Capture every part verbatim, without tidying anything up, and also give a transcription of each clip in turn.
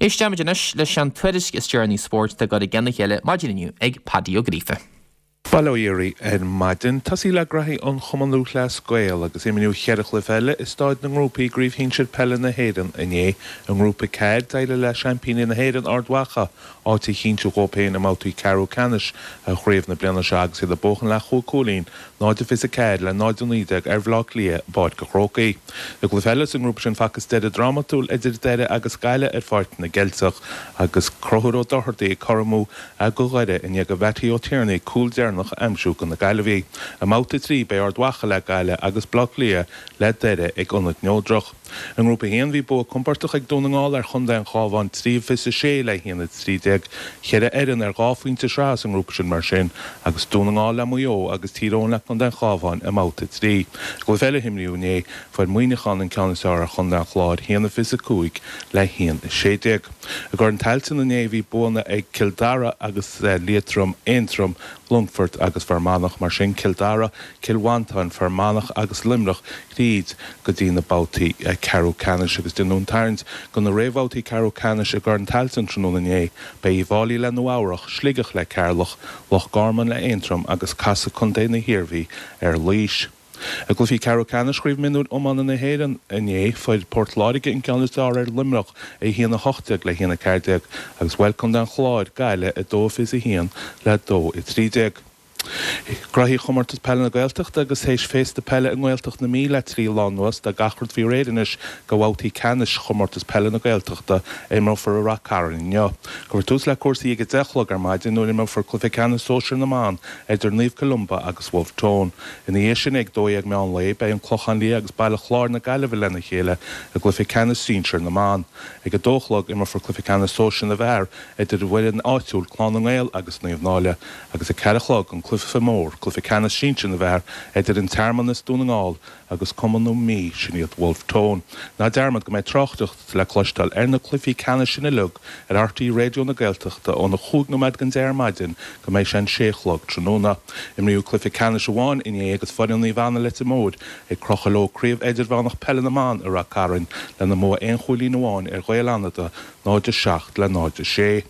Éisteimid anois leis an tuairisc is deireanaí spóirt atá curtha lena chéile maidin inniu ag Paddy Ó Gríofa. Bail ó Dhia oraibh ar maidin, tosaí le graithí an Chumann Lúthchleas Gael agus imríodh cheithre chluiche eile i staid na ngrúpaí i gCraobh Shinsir Peile na hÉireann inné. I ngrúpa ceathair, d'éirigh le seaimpíní na hÉireann Ard Mhacha áit a chinntiú dhóibh féin i mbabhtaí ceathrú ceannais chraobh na bliana seo agus iad ag buachan le chúig chúilín, náid a fiche a ceathair le náid a naoi déag ar Bhaile Átha Cliath i bPáirc an Chrócaigh. I gcluiche eile sa ngrúpa sin facthas deireadh drámatúil idir Doire agus Gaillimh ar Pháirc na gCeilteach agus Conchúr Ó Dochartaigh ag cothromú do Dhoire i ndiaidh do Mhattie Ó Tiarnaigh cúl deireanach a aimsiú do na Gaillimhigh. I mbabhta a trí beidh Ard Mhacha le Gaillimh agus Baile Átha Cliath le Doire ag Ionad Neodrach. I ngrúpa a haon bhí bua compordach ag Dún na nGall ar Chontae an Chabháin trí fiche a sé le haon a trí déag. Ceithre fhoireann ar dhá phointe sraithe sa ngrúpa sin mar sin agus Dún na nGall le Maigh Eo agus Tír Eoghain le Contae an Chabháin i mbabhta a trí. I gcluiche eile a imríodh inné fuair Muineachán an ceann is fearr ar Chontae an Chláir haon a fiche a cúig le haon a sé déag. I gCorn Tailteann inné bhí buanna ag Cill Dara agus Liatroim, Aontroim, Longfort agus Fear Manach mar sin Cill Dara, Cill Mhantáin, Fear Manach agus Luimneach tríd go dtí na babhtaí ceathrú ceannais agus déanadh an tarraingt do na réamhbhabhtaí ceathrú ceannais i gCorn Tailteann tráthnóna inné. Beidh Uíbh Fhailí le Nua Eabhrach, Sligeach le Ceatharlach, Loch Garman le Aontroim agus casfaidh Contae na hIarmhí ar Laois. I gcluichí ceathrú ceannais Chraobh Mionúir Iomána na hÉireann inné, fuair Port Láirge an ceann is fearr ar Luimneach, a haon a hocht déag le haon a ceathair déag, agus bhuail Contae an Chláir Gaillimh a dó fiche a haon le dó a trí déag. Graithí Chomórtas Peile na Gaeltachta agus théis féasta peile i nGaeltacht na Mí le trí lá anuas, tá gach rud faoi réir anois do bhabhtaí ceannais Chomórtas Peile na Gaeltachta a imreofar i Rath Cairn inniu. Cuirfear tús le cúrsaí ag a deich a chlog ar maidin nuair a imreofar cluiche ceannais sóisir na mban idir Naomh Columba agus Wolfe Tone. Ina dhiaidh sin ag dó dhéag meán lae beidh an Clochán Liath agus Baile Chláir na Gaillimhe lena chéile i gcluiche ceannais sinsir na mban. Ag a dó a chlog imreofar cluiche ceannais sóisir na bhfear idir an bhfoireann áitiúil Clann na nGael agus Naomh Náille agus ag ceathair a chlog an cluiche mór, cluiche ceannais sinsir na bhfear idir an Tearmann as Dún na nGall agus Cumann na Mí, sin iad Wolfe Tone. Ná dearmad go mbeidh tráchtaireacht le cloisteáil ar na cluichí ceannais sin uilig ar RTÉ Raidió na Gaeltachta óna chúig nóiméad don deich ar maidin go mbeidh sé an sé a chlog tráthnóna. Imríodh cluiche ceannais amháin inné agus foireann Naomh Anna Leitir Móir ag crochadh leo Craobh Idirmheánach Peile na mBan i Rath Cairn lena mbua aon chúilín amháin ar Ghaeil Fhánada, náid a seacht le náid a sé.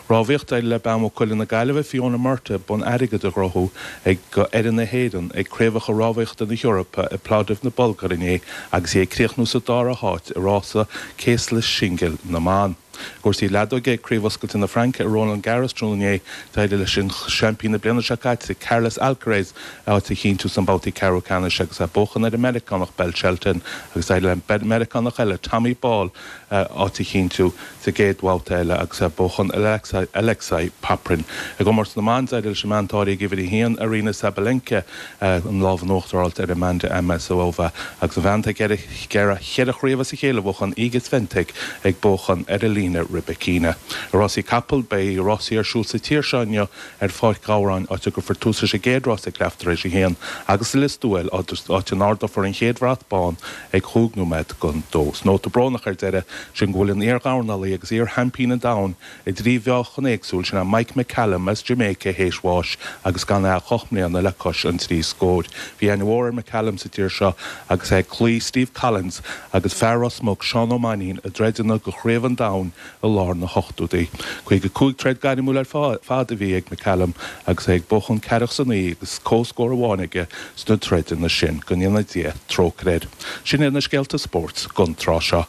Rámhaíocht, D'éirigh le bean Mhaigh Cuilinn na Gaillimhe, Fiona Murtagh, bonn airgid a ghnóthú ag d'fhoireann na hÉireann ag Craobhacha Rámhaíochta na hEorpa i Plovdiv na Bulgáire inné agus í ag críochnú sa dara háit i rása céaslaí singil na mban. I gcúrsaí leadóige, ag Craobh Oscailte na Fraince i Roland Garros tráthnóna inné, d'éirigh leis an seaimpín na bliana seo caite, Carlos Alcaraz, áit a chinntiú sna babhtaí ceathrú ceannais agus é ag buachan ar an Meiriceánach Ben Shelton agus d'éirigh le Meiriceánach eile, Tommy Ball, áit a chinntiú sa gcéad bhabhta eile agus é ag buachan ar Alexei Popyrin. I gcomórtas na mban, d'éirigh leis an mbean atá ag uimhir a haon, Aryna Sabalenka, an lámh in uachtar a fháilt ar Amanda Amasova agus an bhean atá ag iarraidh cheithre chraobh as a chéile a bhuachan, Iga Swiatek, ag buachan ar Elena Rybakina. I rásaí capall, beidh rásaí ar siúl sa tír seo inniu ar Pháirc Ghabhráin, áit a gcuirfear tús leis an gcéad rás ag leath tar éis a haon, agus i Lios Tuathail, áit a n-ardófar an chéad bhrat bán ag chúig nóiméad don dó. Is nóta brónach ar deireadh sin go bhfuil an iar-dhornálaí agus iar-sheaimpín an domhain i dtrí mheáchan éagsúil, sin é Mike McCallum as Jamaica théis bháis agus gan é ach ocht mbliana le cois an trí scóir. Bhí aithne mhór ar McCallum sa tír seo agus é ag cloí Steve Collins agus fear Ros Muc Seán Ó Mainnín i dtroideanna do Chraobh an Domhain i lár na hochtóidí. Caoga cúig troid gairmiúil ar fad a bhí ag McCallum agus é ag buachan ceathracha is a naoi agus comhscór amháin aige sna troideanna sin. Go ndéana Dia trócaire air. Sin iad na scéalta spóirt don tráth seo.